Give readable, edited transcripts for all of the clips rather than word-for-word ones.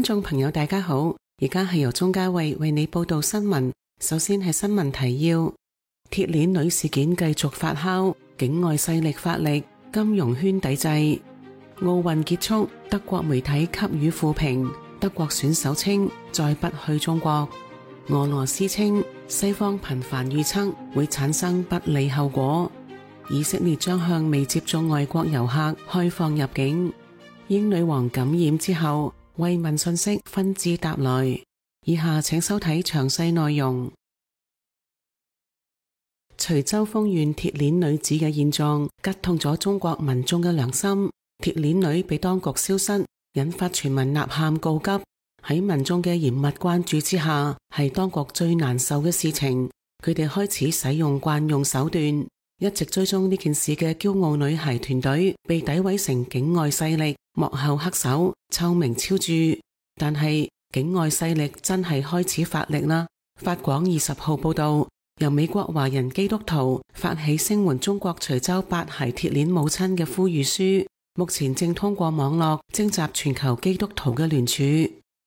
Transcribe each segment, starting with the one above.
眾朋友大家好，而家係由鍾嘉慧為你報道新聞。首先係新聞提要：鐵鏈女事件繼續發酵，境外勢力發力，金融圈抵制。奧運結束，德國媒體給予負評，德國選手稱再不去中國。俄羅斯稱西方頻繁預測會產生不利後果。以色列將向未接種外國遊客開放入境。英女王感染之後，慰問信息紛至沓來。以下請收睇詳細內容。徐州豐縣鐵鏈女子嘅現狀擊痛咗中國民眾嘅良心。鐵鏈女被當局消失，引發全民吶喊告急。喺民眾嘅嚴密關注之下，係當局最難受嘅事情。佢哋開始使用慣用手段。一直追蹤呢件事嘅驕傲女孩團隊被詆毀成境外勢力幕後黑手，臭名昭著。但係境外勢力真係開始發力啦。法廣20號報道，由美國華人基督徒發起聲援中國徐州8孩鐵鏈母親嘅呼籲書，目前正通過網絡徵集全球基督徒嘅聯署。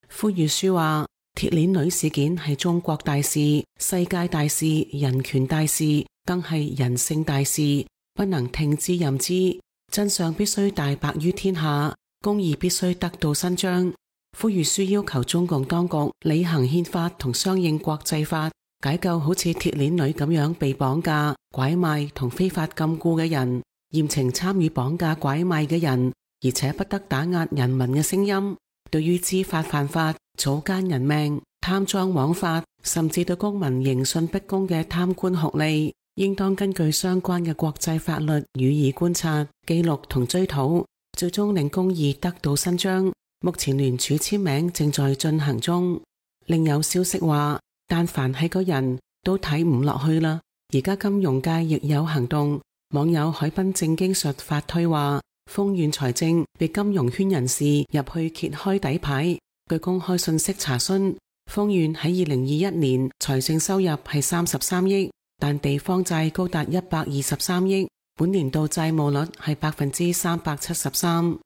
呼籲書話，鐵鏈女事件係中國大事、世界大事、人權大事，更係人性大事，不能聽之任之。真相必須大白於天下，公義必須得到伸張。呼籲書要求中共當局履行憲法同相應國際法，解救好似鐵鏈女咁樣被綁架、拐賣同非法禁錮嘅人，嚴懲參與綁架拐賣嘅人，而且不得打壓人民嘅聲音。對於知法犯法、草菅人命、貪贓枉法，甚至對公民刑訊逼供嘅貪官酷吏，應當根據相關嘅國際法律予以觀察、記錄同追討，最終令公義得到伸張。目前聯署簽名正在進行中。另有消息話，但凡係個人都睇唔落去啦。而家金融界亦有行動，網友海濱正經術發推話，豐縣財政被金融圈人士入去揭開底牌。據公開信息查詢，豐縣喺2021年財政收入係33億，但地方債高達123億，本年度債務率係373%。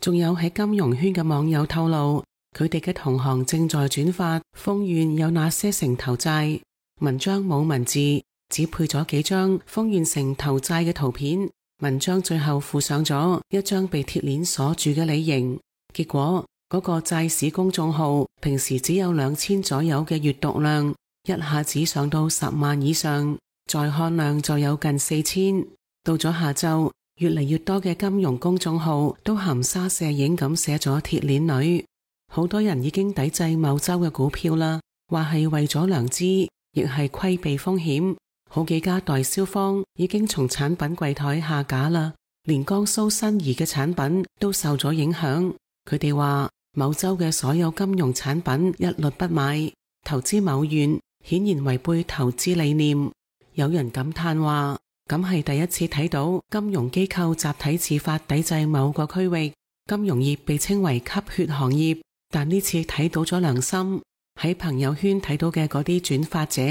仲有喺金融圈嘅網友透露，佢哋嘅同行正在轉發豐縣有哪些城投債，文章冇文字，只配咗幾張豐縣城投債嘅圖片。文章最後附上咗一張被鐵鏈鎖住嘅理型。結果嗰個債市公眾號平時只有2000左右嘅閱讀量，一下子上到10萬以上，在看量就有近4000。到咗下晝，越嚟越多嘅金融公眾號都含沙射影咁寫咗鐵鏈女。好多人已經抵制某州嘅股票啦，話係為咗良知，亦係規避風險。好幾家代銷方已經從產品櫃台下架啦，連江蘇新怡嘅產品都受咗影響。佢哋話某州嘅所有金融產品一律不買，投資某縣顯然違背投資理念。有人感嘆話，咁係第一次睇到金融機構集體自發抵制某個區域。金融業被稱為吸血行業，但呢次睇到咗良心。喺朋友圈睇到嘅嗰啲轉發者，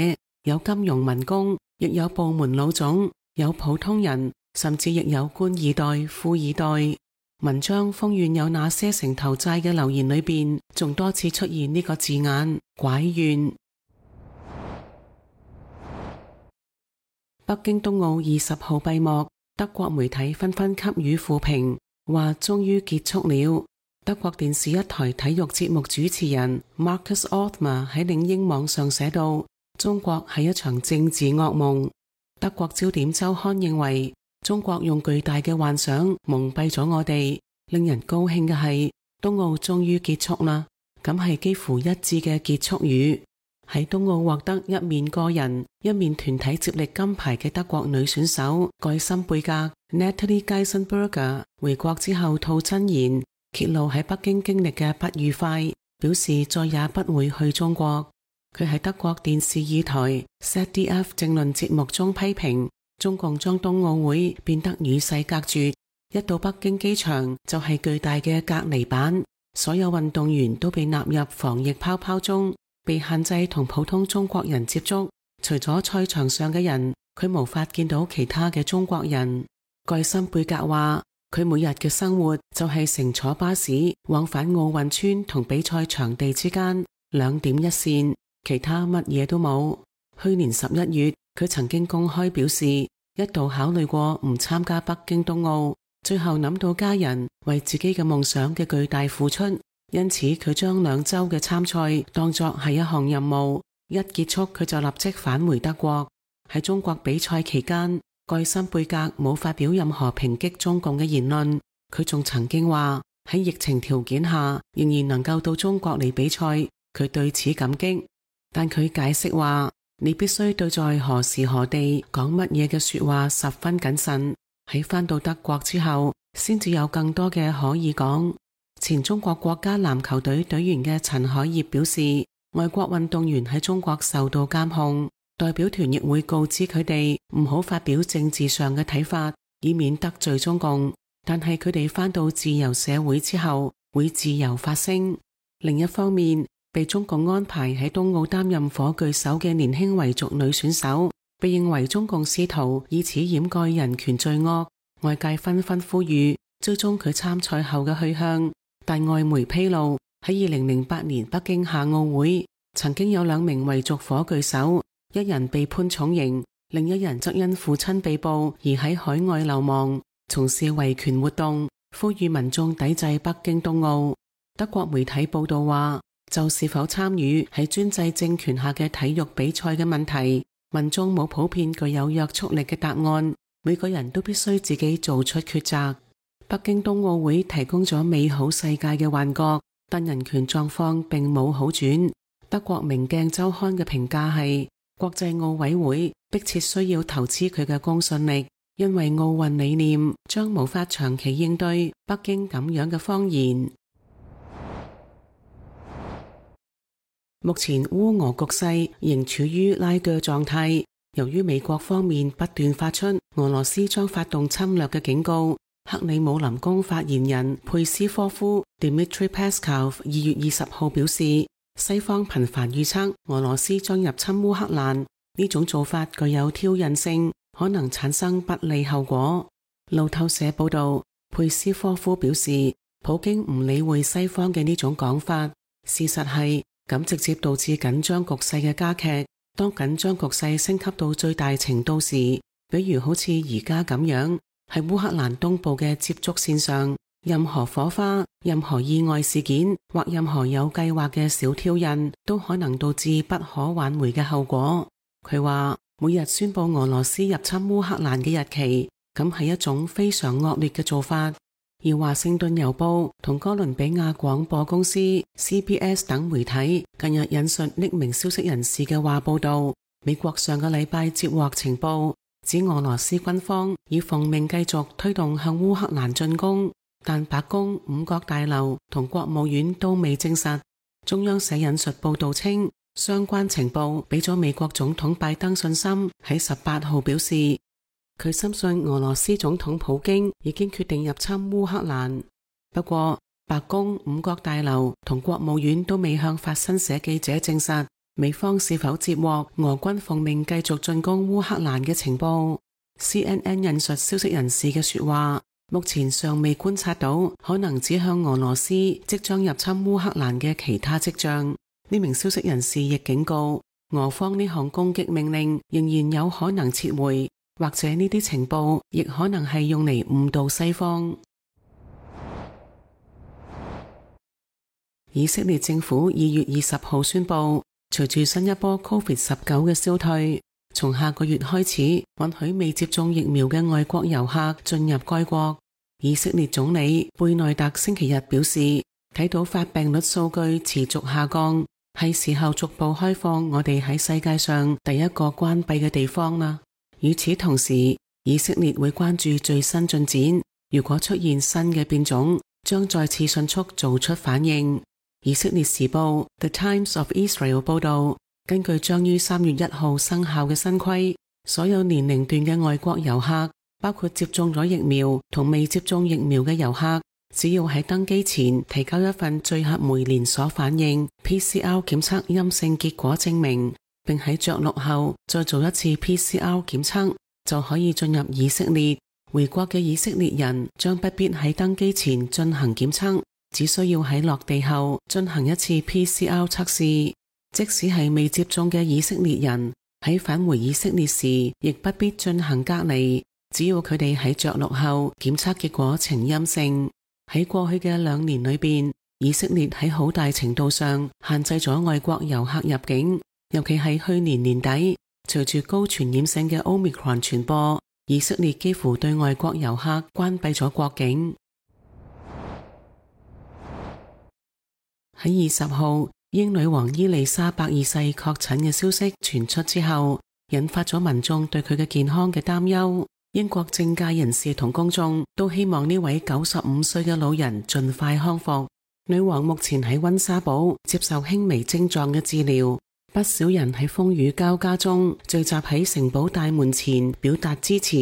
有金融民工，亦有部門老總，有普通人，甚至亦有官二代、富二代。文章豐縣有哪些城投債嘅留言裏邊，仲多次出現呢個字眼，拐縣。北京冬奧20號閉幕，德國媒體紛紛給予負評，話終於結束了。德國電視一台體育節目主持人 Markus Ottmar 喺領英網上寫道，中國係一場政治噩夢。德國焦點週刊認為，中國用巨大嘅幻想蒙蔽咗我哋。令人高興嘅係，冬奧終於結束啦，咁係幾乎一致嘅結束語。喺冬奧獲得一面個人、一面團體接力金牌嘅德國女選手蓋森貝格 Natalie Geisenberger 回國之後吐真言，揭露喺北京經歷嘅不愉快，表示再也不會去中國。佢喺德國電視二台 ZDF 政論節目中批評，中共將冬奧會變得與世隔絕，一到北京機場就係巨大嘅隔離板，所有運動員都被納入防疫泡泡中，被限制同普通中國人接觸。除咗賽場上嘅人，佢無法見到其他嘅中國人。蓋森貝格話，佢每日嘅生活就係乘坐巴士往返奧運村同比賽場地之間2點一線，其他乜嘢都冇。去年11月，佢曾經公開表示一度考慮過唔參加北京冬奧，最後諗到家人為自己嘅夢想嘅巨大付出，因此佢將2週嘅參賽當作係一項任務。一結束，佢就立即返回德國。喺中國比賽期間，蓋森貝格冇發表任何抨擊中共嘅言論。佢仲曾經話喺疫情條件下仍然能夠到中國嚟比賽，佢對此感激。但佢解釋話，你必須對在何時何地講乜嘢嘅說話十分謹慎。喺返到德國之後，先至有更多嘅可以講。前中國國家籃球隊隊員嘅陳海業表示，外國運動員喺中國受到監控。代表團亦會告知佢哋唔好發表政治上嘅睇法，以免得罪中共。但係佢哋返到自由社會之後，會自由發聲。另一方面，被中共安排喺冬奧擔任火炬手嘅年輕維族女選手，被認為中共試圖以此掩蓋人權罪惡。外界紛紛呼籲追蹤佢參賽後嘅去向，但外媒披露喺2008年北京夏奧會，曾經有2名維族火炬手。一人被判重刑，另一人則因父親被捕而喺海外流亡，從事維權活動，呼籲民眾抵制北京冬奧。德國媒體報道話，就是否參與喺專制政權下嘅體育比賽嘅問題，民眾冇普遍具有約束力嘅答案，每個人都必須自己做出抉擇。北京冬奧會提供咗美好世界嘅幻覺，但人權狀況並冇好轉。德國明鏡週刊嘅評價係，國際奧委會迫切需要投資佢嘅公信力，因為奧運理念將無法長期應對北京咁樣嘅謊言。目前烏俄局勢仍處於拉鋸狀態，由於美國方面不斷發出俄羅斯將發動侵略嘅警告，克里姆林宮發言人佩斯科夫 Dmitry Peskov 2月20號表示，西方頻繁預測俄羅斯將入侵烏克蘭，呢種做法具有挑釁性，可能產生不利後果。路透社報道，佩斯科夫表示，普京唔理會西方嘅呢種講法，事實係咁直接導致緊張局勢嘅加劇。當緊張局勢升級到最大程度時，比如好似而家咁樣，喺烏克蘭東部嘅接觸線上，任何火花、任何意外事件或任何有計劃嘅小挑釁都可能導致不可挽回嘅後果。佢話每日宣布俄羅斯入侵烏克蘭嘅日期，咁係一種非常惡劣嘅做法。而華盛頓郵報同哥倫比亞廣播公司 CBS 等媒體近日引述匿名消息人士嘅話報道，美國上個禮拜接獲情報，指俄羅斯軍方已奉命繼續推動向烏克蘭進攻，但白宮、五角大樓同國務院都未證實。中央社引述報道稱，相關情報俾咗美國總統拜登信心，喺18號表示，佢深信俄羅斯總統普京已經決定入侵烏克蘭。不過，白宮、五角大樓同國務院都未向法新社記者證實美方是否接獲俄軍奉命繼續進攻烏克蘭嘅情報。CNN 引述消息人士嘅說話，目前尚未觀察到可能指向俄羅斯即將入侵烏克蘭嘅其他跡象。呢名消息人士亦警告，俄方呢項攻擊命令仍然有可能撤回。或者呢啲情報亦可能係用嚟誤導西方。以色列政府2月20號宣布，隨住新一波 COVID-19 嘅消退，從下個月開始允許未接種疫苗嘅外國遊客進入該國。以色列總理貝內特星期日表示，睇到發病率數據持續下降，係時候逐步開放我哋喺世界上第一個關閉嘅地方啦。與此同時，以色列會關注最新進展，如果出現新嘅變種，將再次迅速做出反應。以色列時報 The Times of Israel 報道，根據將於3月1號生效嘅新規，所有年齡段嘅外國遊客，包括接種咗疫苗同未接種疫苗嘅遊客，只要喺登機前提交一份聚合酶連鎖反應 PCR 檢測陰性結果證明，並喺着陸後再做一次 PCR 檢測，就可以進入以色列。回國嘅以色列人將不必喺登機前進行檢測，只需要喺落地後進行一次 PCR 測試。即使係未接種嘅以色列人，喺返回以色列時亦不必進行隔離，只要佢哋喺着陸後檢測結果呈陰性。喺過去嘅2年裏邊，以色列喺好大程度上限制咗外國遊客入境，尤其係去年年底，隨住高傳染性嘅 Omicron 傳播，以色列幾乎對外國遊客關閉咗國境。喺20號，英女王伊麗莎白二世確診嘅消息傳出之後，引發咗民眾對佢嘅健康嘅擔憂。英國政界人士同公眾都希望呢位95歲嘅老人盡快康復。女王目前喺溫莎堡接受輕微症狀嘅治療。不少人喺風雨交加中聚集喺城堡大門前表達支持。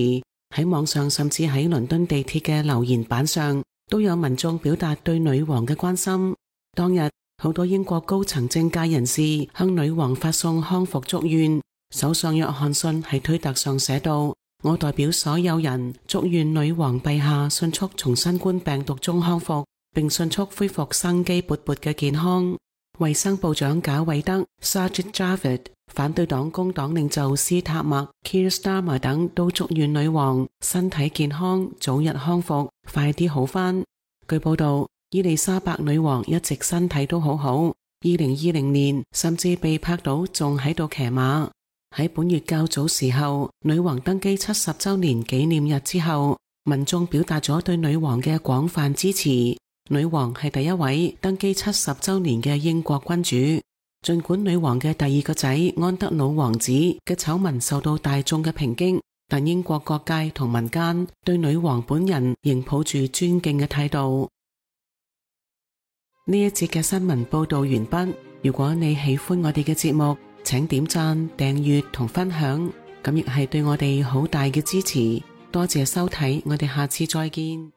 喺網上甚至喺倫敦地鐵嘅留言板上都有民眾表達對女王嘅關心。當日好多英國高層政界人士向女王發送康復祝願。首相約翰遜喺推特上寫道：我代表所有人祝願女王陛下迅速從新冠病毒中康復，並迅速恢復生機勃勃嘅健康。衛生部長賈偉德 Sajid Javid、 反對黨工黨領袖斯塔默 Keir Starmer 等都祝願女王身體健康，早日康復，快啲好返。據報道，伊麗莎白女王一直身體都好好，2020年甚至被拍到仲喺度騎馬。喺本月較早時候，女王登基70週年紀念日之後，民眾表達咗對女王嘅廣泛支持。女王係第一位登基70週年嘅英國君主。盡管女王嘅第2個仔安德魯王子嘅醜聞受到大眾嘅抨擊，但英國各界同民間對女王本人仍抱住尊敬嘅態度。呢一節嘅新聞報道完畢。如果你喜歡我哋嘅節目，請點讚、訂閱同分享，咁亦係對我哋好大嘅支持。多謝收睇，我哋下次再見。